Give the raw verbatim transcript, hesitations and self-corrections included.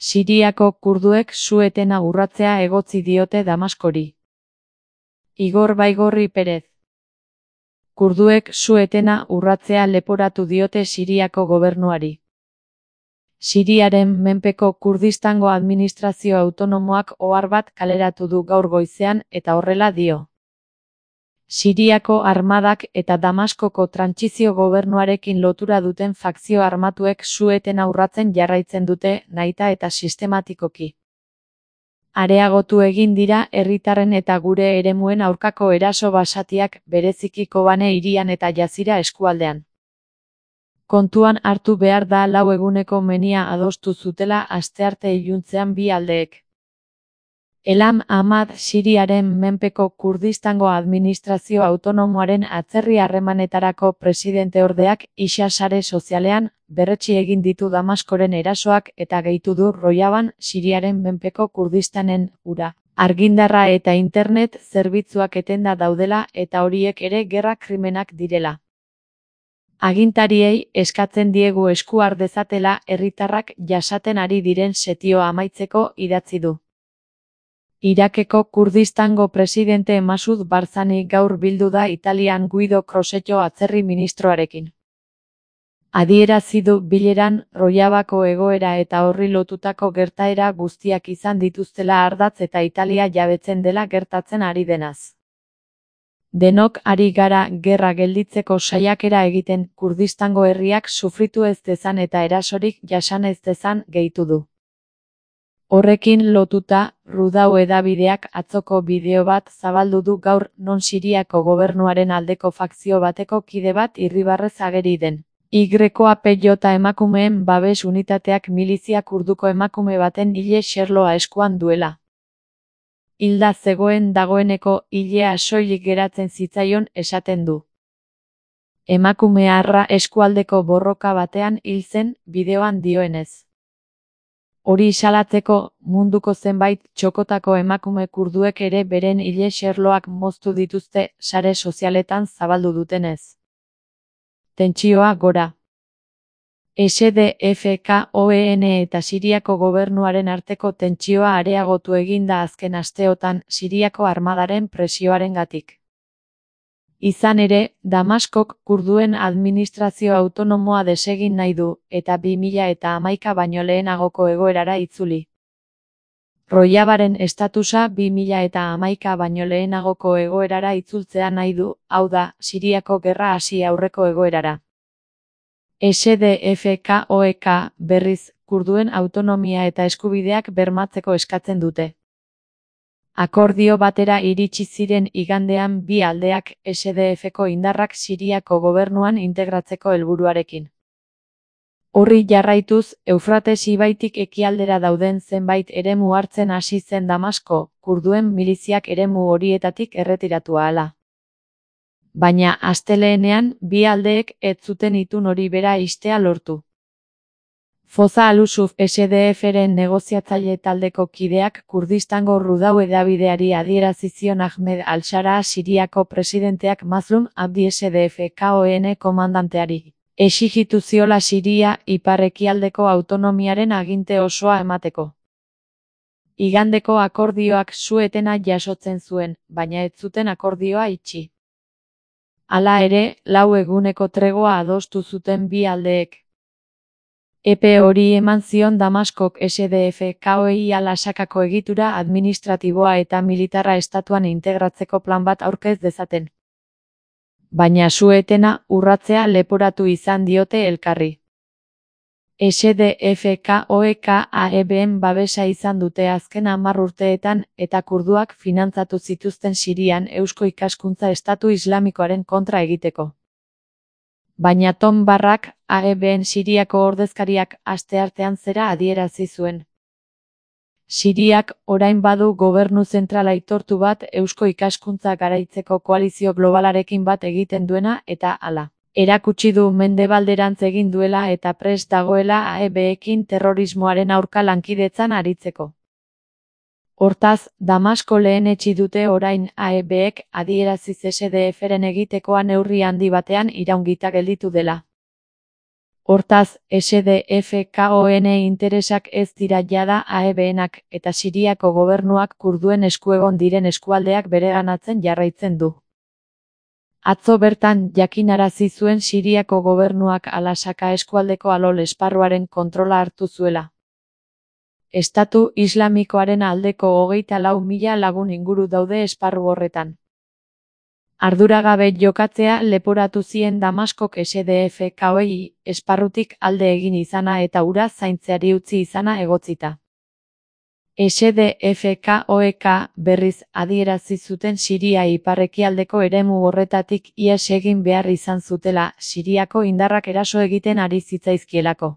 Siriako kurduek su-etena urratzea egotzi diote Damaskori. Igor Baigorri Perez. Kurduek su-etena urratzea leporatu diote Siriako gobernuari. Siriaren menpeko Kurdistango administrazio autonomoak ohar bat kaleratu du gaur goizean eta horrela dio. Siriako armadak eta Damaskoko trantsizio gobernuarekin lotura duten fakzio armatuek su-etena urratzen jarraitzen dute nahita eta sistematikoki. Areagotu egin dira herritarren eta gure eremuen aurkako eraso basatiak bereziki Kobane hirian eta Jazira eskualdean. Kontuan hartu behar da lau eguneko menia adostu zutela astearte iluntzean bi aldeek. Elam Ahmad Siriaren menpeko Kurdistango administrazio autonomoaren atzerri harremanetarako presidenteordeak isa sare sozialean berretsi egin ditu Damaskoren erasoak eta gehitu du Rojaban Siriaren menpeko Kurdistanen ura, argindarra eta internet zerbitzuak etenda daudela eta horiek ere gerra krimenak direla. Agintariei eskatzen diegu esku har dezatela herritarrak jasaten ari diren setioa amaitzeko idatzi du. Irakeko Kurdistango presidente Masud Barzani gaur bildu da Italian Guido Crosetto atzerri ministroarekin. Adierazi du bileran Rojavako egoera eta horri lotutako gertaera guztiak izan dituztela ardatz eta Italia jabetzen dela gertatzen ari denaz. Denok ari gara gerra gelditzeko saiakera egiten Kurdistango herriak sufritu ez dezan eta erasorik jasan ez dezan gehitu du. Horrekin lotuta, Rudau hedabideak atzoko bideo bat zabaldu du gaur non Siriako gobernuaren aldeko fakzio bateko kide bat irribarrez ageri den. Y A P J emakumeen babes unitateak milizia kurduko emakume baten hile xerloa eskuan duela. Hilda zegoen dagoeneko hilea soilik geratzen zitzaion esaten du. Emakumea eskualdeko borroka batean hil zen bideoan dioenez. Hori salatzeko, munduko zenbait txokotako emakume kurduek ere beren hile xerloak moztu dituzte sare sozialetan zabaldu dutenez. Tentsioa gora. S D F K O E N eta Siriako gobernuaren arteko tentsioa areagotu eginda azken asteotan Siriako armadaren presioarengatik. Izan ere, Damaskok kurduen administrazio autonomoa desegin nahi du, eta bi mila hamaika baino lehenagoko egoerara itzuli. Rojavaren estatusa bi mila hamaika baino lehenagoko egoerara itzultzea nahi du, hau da, Siriako gerra hasi aurreko egoerara. S D F K O E K, berriz, kurduen autonomia eta eskubideak bermatzeko eskatzen dute. Akordio batera iritsi ziren igandean bi aldeak S D F-ko indarrak Siriako gobernuan integratzeko helburuarekin. Horri jarraituz, Eufrates ibaitik ekialdera dauden zenbait eremu hartzen hasi zen Damasko, kurduen miliziak eremu horietatik erretiratu ahala. Baina astelehenean bi aldeek ez zuten itun hori bera ixtea lortu. Foza Al-Usuf S D F-ren negoziatzaile taldeko kideak Kurdistango Rudau hedabideari adierazi zion Ahmed al-Shara Siriako presidenteak Mazlum Abdi S D F K O E N komandanteari. Exijitu ziola Siria ipar-ekialdeko autonomiaren aginte osoa emateko. Igandeko akordioak su-etena jasotzen zuen, baina ez zuten akordioa itxi. Hala ere, lau eguneko tregoa adostu zuten bi aldeek. Epe hori eman zion Damaskok S D F K O E lasakako egitura administratiboa eta militarra estatuan integratzeko plan bat aurkez dezaten. Baina su-etena urratzea leporatu izan diote elkarri. S D F K O E K A E B-en babesa izan dute azken hamar urteetan eta kurduak finantzatu zituzten Sirian eusko ikaskuntza estatu islamikoaren kontra egiteko. Baina Tom Barrak, A E B-en Siriako ordezkariak asteartean zera adierazi zuen. Siriak orain badu gobernu zentral aitortu bat eusko ikaskuntza garaitzeko koalizio globalarekin bat egiten duena eta hala. Erakutsi du mendebalderantz egin duela eta prest dagoela A E B-ekin terrorismoaren aurka lankidetzan aritzeko. Hortaz, Damasko lehenetsi dute orain A E B-ek adieraziz S D F-ren egitekoa neurri handi batean iraungita gelditu dela. Hortaz, S D F K-en interesak ez dira jada A E B-enak eta Siriako gobernuak kurduen esku egon diren eskualdeak bereganatzen jarraitzen du. Atzo bertan jakinarazi zuen Siriako gobernuak Al-Aqsa eskualdeko Alol esparruaren kontrola hartu zuela. Estatu Islamikoaren aldeko hogeita lau mila lagun inguru daude esparru horretan. Arduragabe jokatzea leporatu zien Damaskok S D F K-ei esparrutik alde egin izana eta hura zaintzeari utzi izana egotzita. S D F K-ek berriz adierazi zuten Siria ipar-ekialdeko eremu horretatik ihes egin behar izan zutela, Siriako indarrak eraso egiten ari zitzaizkielako.